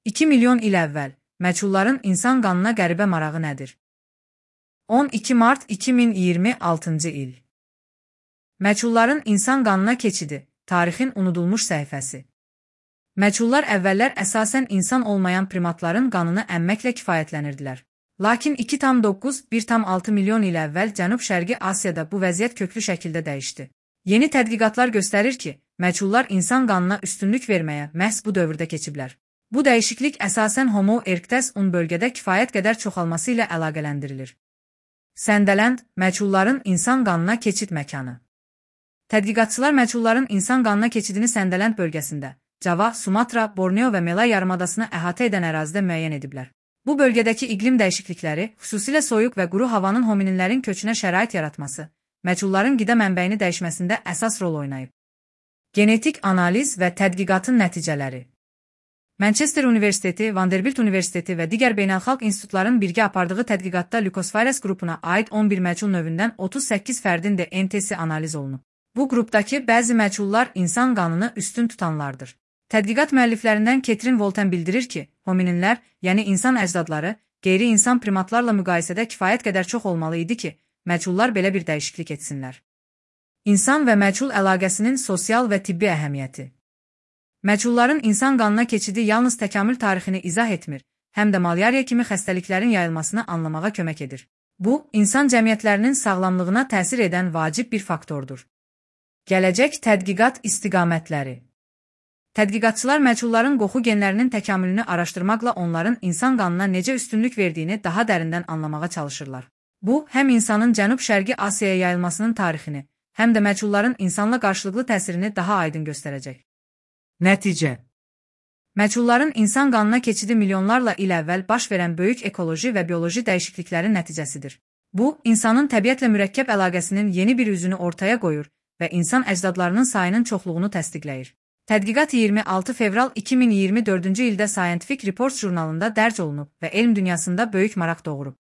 2 milyon il əvvəl məchulların insan qanına qəribə marağı nədir? 12 mart 2026-cı il. Məchulların insan qanına keçidi, tarixin unudulmuş səhifəsi. Məchullar əvvəllər əsasən insan olmayan primatların qanını əmməklə kifayətlənirdilər. Lakin 2,9–1,6 milyon il əvvəl Cənub-Şərqi Asiyada bu vəziyyət köklü şəkildə dəyişdi. Yeni tədqiqatlar göstərir ki, məchullar insan qanına üstünlük verməyə məhz bu dövrdə keçiblər. Bu dəyişiklik əsasən Homo erectus-un bölgədə kifayət qədər çoxalması ilə əlaqələndirilir. Səndələnd, məchulların insan qanına keçid məkanı. Tədqiqatçılar məchulların insan qanına keçidini Səndələnd bölgəsində, Cava, Sumatra, Borneo və Malay yarımadasını əhatə edən ərazidə müəyyən ediblər. Bu bölgədəki iqlim dəyişiklikləri, xüsusilə soyuq və quru havanın homininlərin köçünə şərait yaratması, məchulların qida mənbəyini dəyişməsində əsas rol oynayıb. Genetik analiz və tədqiqatın nəticələri. Manchester Universiteti, Vanderbilt Universiteti və digər beynəlxalq institutların birgə apardığı tədqiqatda Leucosphaeres qrupuna aid 11 məchul növündən 38 fərdin DNT-si analiz olunub. Bu qrupdakı bəzi məchullar insan qanını üstün tutanlardır. Tədqiqat müəlliflərindən Ketrin Volten bildirir ki, homininlər, yəni insan əcdadları, qeyri-insan primatlarla müqayisədə kifayət qədər çox olmalı idi ki, məchullar belə bir dəyişiklik etsinlər. İnsan və məchul əlaqəsinin sosial və tibbi əhəmiyyəti. Məchulların insan qanına keçidi yalnız təkamül tarixini izah etmir, həm də malyariya kimi xəstəliklərin yayılmasını anlamağa kömək edir. Bu, insan cəmiyyətlərinin sağlamlığına təsir edən vacib bir faktordur. Gələcək tədqiqat istiqamətləri. Tədqiqatçılar məchulların qoxu genlərinin təkamülünü araşdırmaqla onların insan qanına necə üstünlük verdiyini daha dərindən anlamağa çalışırlar. Bu, həm insanın Cənub-Şərqi Asiyaya yayılmasının tarixini, həm də məchulların insanla qarşılıqlı təsirini daha aydın göstərəcək. Nəticə. Məchulların insan qanına keçidi milyonlarla il əvvəl baş verən böyük ekoloji və bioloji dəyişikliklərin nəticəsidir. Bu, insanın təbiətlə mürəkkəb əlaqəsinin yeni bir üzünü ortaya qoyur və insan əcdadlarının sayının çoxluğunu təsdiqləyir. Tədqiqat 26 fevral 2024-cü ildə Scientific Reports jurnalında dərc olunub və elm dünyasında böyük maraq doğurub.